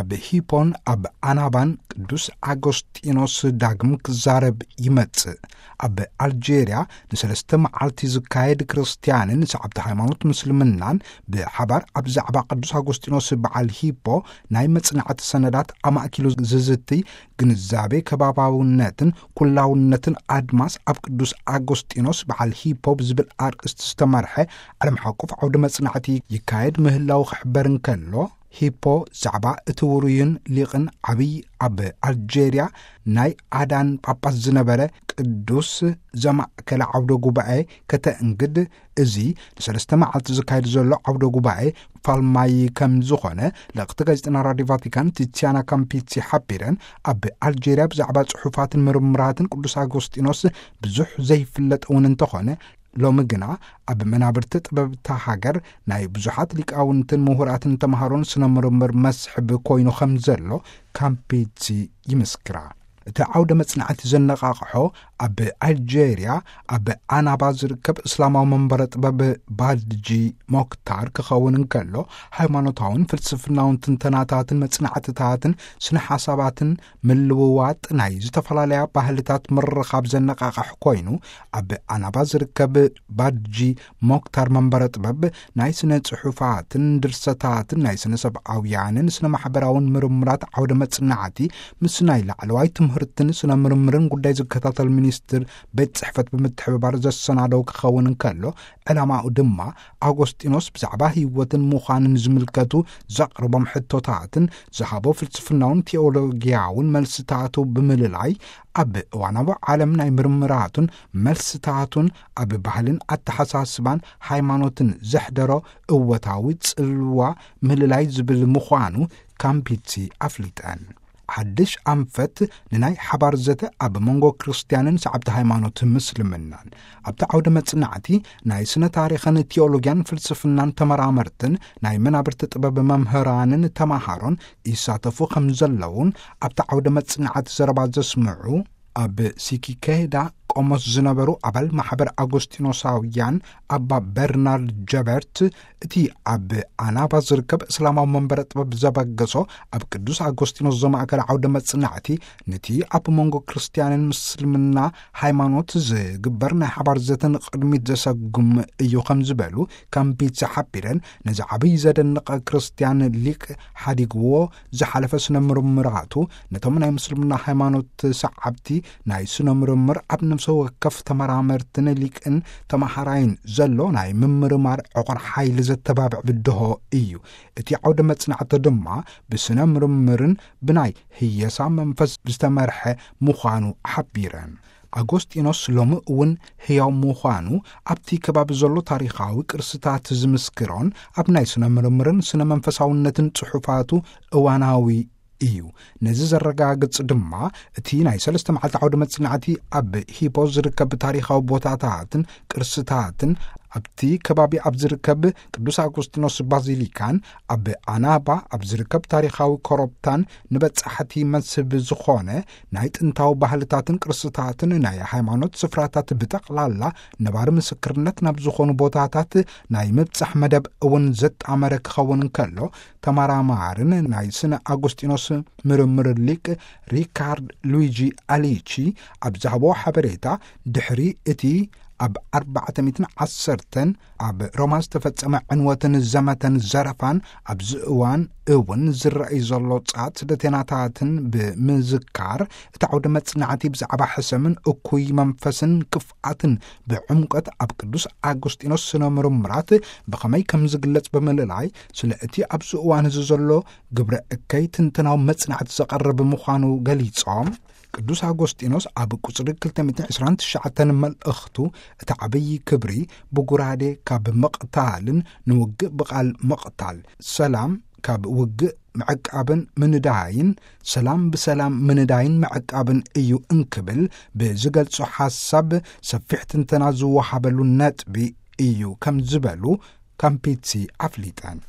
ብሂፖን ኣብ ኣናባን ቅዱስ ኣጎስጢኖስ ዳግም ክዛረብ ይመጽእ። ኣብ ኣልጄርያ ንሰለስተ መዓልቲ ዝካየድ ክርስትያንን ሰዓብቲ ሃይማኖት ምስልምናን ብሓባር ኣብ ዛዕባ ቅዱስ ኣጎስጢኖስ በዓል ሂፖ ናይ መጽናዕቲ ሰነዳት ኣማእኪሉ ዝዝትይ፣ ግንዛቤ ከባባውነትን ኩላውነትን ኣድማስ ኣብ ቅዱስ ኣጎስጢኖስ በዓል ሂፖ ብዝብል ኣርእስቲ ዝተመርሐ ዓለም ሓቆፍ ዓውደ መጽናዕቲ ይካየድ ምህላው ክሕበር እንከሎ፣ ሂፖ ዛዕባ እቲ ውሩይን ሊቕን ዓብይ ኣብ ኣልጄርያ ናይ ኣዳን ጳጳስ ዝነበረ ቅዱስ ዘማእከለ ዓውደ ጉባኤ ከተእንግድ፣ እዚ ንሰለስተ መዓልቲ ዝካየድ ዘሎ ዓውደ ጉባኤ ፋልማይ ከም ዝኾነ ለቕቲ ጋዜጠና ራዲዮ ቫቲካን ቲቲያና ካምፒቲ ሓቢረን፣ ኣብ ኣልጄርያ ብዛዕባ ጽሑፋትን ምርምራትን ቅዱስ ኣጎስጢኖስ ብዙሕ ዘይፍለጥ እውን እንተኾነ፣ ሎሚ ግና ኣብ መናብርቲ ጥበብታ ሃገር ናይ ብዙሓት ሊቃውንትን ምሁራትን ተምሃሮን ስነ ምርምር መስሕብ ኮይኑ ከም ዘሎ ካምፒቲ ይምስክራ። እቲ ዓውደ መጽናዕቲ ዘነቓቕሖ ኣብ ኣልጄርያ ኣብ ኣናባ ዝርከብ እስላማዊ መንበረ ጥበብ ባድጂ ሞክታር ክኸውን እንከሎ፣ ሃይማኖታውን ፍልስፍናውን ትንተናታትን መጽናዕትታትን ስነ ሓሳባትን ምልውዋጥ ናይ ዝተፈላለያ ባህልታት ምርኻብ ዘነቓቕሕ ኮይኑ፣ ኣብ ኣናባ ዝርከብ ባድጂ ሞክታር መንበረ ጥበብ ናይ ስነ ጽሑፋትን ድርሰታትን ናይ ስነ ሰብኣውያንን ስነ ማሕበራውን ምርምራት ዓውደ መጽናዕቲ ምስ ናይ ላዕለዋይ ትምህርትን ስነ ምርምርን ጉዳይ ዝከታተል ሚኒስትር ቤት ጽሕፈት ብምትሕብባር ዘሰናደው ክኸውን እንከሎ፣ ዕላማኡ ድማ ኣጎስጢኖስ ብዛዕባ ህይወትን ምዃንን ዝምልከቱ ዘቕርቦም ሕቶታትን ዝሃቦ ፍልስፍናውን ቴዎሎጊያውን መልስታቱ ብምልላይ፣ ኣብ እዋናዊ ዓለም ናይ ምርምራቱን መልስታቱን ኣብ ባህልን ኣተሓሳስባን ሃይማኖትን ዘሕደሮ እወታዊ ጽልዋ ምልላይ ዝብል ምዃኑ ካምፒቲ ኣፍሊጠን። ሓድሽ ኣንፈት ንናይ ሓባር ዘተ ኣብ መንጎ ክርስትያንን ሰዓብቲ ሃይማኖት ምስልምናን። ኣብቲ ዓውደ መጽናዕቲ ናይ ስነ ታሪኽን ቴዎሎጊያን ፍልስፍናን ተመራመርትን ናይ መናብርቲ ጥበብ መምህራንን ተማሃሮን ይሳተፉ ከም ዘለውን ኣብቲ ዓውደ መጽናዕቲ ዘረባ ዘስምዑ ኣብ ሲኪኬዳ ቆሞስ ዝነበሩ ኣባል ማሕበር ኣጎስጢኖሳውያን ኣባ በርናርድ ጀበርት፣ እቲ ኣብ ኣናባ ዝርከብ እስላማዊ መንበረ ጥበብ ዘበገሶ ኣብ ቅዱስ ኣጎስጢኖስ ዘማእከለ ዓውደ መጽናዕቲ፣ ነቲ ኣብ መንጎ ክርስትያንን ምስልምና ሃይማኖት ዝግበር ናይ ሓባር ዘተ ንቕድሚት ዘሰጉም እዩ ከም ዝበሉ ካምፒቲ ሓቢረን፣ ነዚ ዓብይ ዘደንቕ ክርስትያን ሊቅ ሓዲግዎ ዝሓለፈ ስነ ምርምራቱ፣ ነቶም ናይ ምስልምና ሃይማኖት ሰዓብቲ ናይ ስነ ምርምር ኣብ ነፍሲ ወከፍ ተመራመርትን ሊቅን ተመሃራይን ዘሎ ናይ ምምርማር ዕቑር ሓይሊ ዘተባብዕ ብድሆ እዩ። እቲ ዓውደ መጽናዕቲ ድማ ብስነ ምርምርን ብናይ ህየሳ መንፈስ ዝተመርሐ ምዃኑ ሓቢረን። ኣጎስጢኖስ ሎሚ እውን ህያው ምዃኑ ኣብቲ ከባቢ ዘሎ ታሪኻዊ ቅርስታት ዝምስክሮን ኣብ ናይ ስነ ምርምርን ስነ መንፈሳውነትን ጽሑፋቱ እዋናዊ እዩ። ነዚ ዘረጋግጽ ድማ እቲ ናይ ሰለስተ መዓልቲ ዓውደ መጽናዕቲ ኣብ ሂፖ ዝርከብ ታሪኻዊ ቦታታትን ቅርስታትን፣ ኣብቲ ከባቢ ኣብ ዝርከብ ቅዱስ ኣጎስጢኖስ ባዚሊካን ኣብ ኣናባ ኣብ ዝርከብ ታሪኻዊ ኮረብታን ንበጻሕቲ መስህብ ዝኾነ ናይ ጥንታዊ ባህልታትን ቅርስታትን ናይ ሃይማኖት ስፍራታት ብጠቕላላ ነባሪ ምስክርነት ናብ ዝኾኑ ቦታታት ናይ ምብጻሕ መደብ እውን ዘጣመረ ክኸውን እንከሎ፣ ተመራማርን ናይ ስነ ኣጎስጢኖስ ምርምር ሊቅ ሪካርድ ሉዊጂ ኣሊቺ ኣብ ዝሃቦ ሓበሬታ፣ ድሕሪ እቲ ኣብ ኣርባዕተ ሚእትን ዓሰርተን ኣብ ሮማ ዝተፈጸመ ዕንወትን ዘመተን ዘረፋን ኣብዚ እዋን እውን ዝረኣይ ዘሎ ጻት ስደተናታትን ብምዝካር፣ እቲ ዓውደ መጽናዕቲ ብዛዕባ ሕሰምን እኩይ መንፈስን ክፍኣትን ብዕምቀት ኣብ ቅዱስ ኣጎስጢኖስ ስነ ምርምራት ብኸመይ ከም ዝግለጽ ብምልላይ፣ ስለ እቲ ኣብዚ እዋን እዚ ዘሎ ግብረ እከይ ትንተናዊ መጽናዕቲ ዘቐርብ ምዃኑ ገሊጾም፣ ቅዱስ ኣጎስጢኖስ ኣብ ቁጽሪ ክልተ ሚእትን ዕስራን ትሽዓተን መልእኽቱ፣ እቲ ዓብዪ ክብሪ ብጉራዴ ካብ ምቕታልን ንውግእ ብቓል ምቕታል፣ ሰላም ካብ ውግእ ምዕቃብን ምንዳይን፣ ሰላም ብሰላም ምንዳይን ምዕቃብን እዩ እንክብል ብዝገልጾ ሓሳብ ሰፊሕ ትንተና ዝወሃበሉ ነጥቢ እዩ ከም ዝበሉ ካምፒቲ ኣፍሊጠን።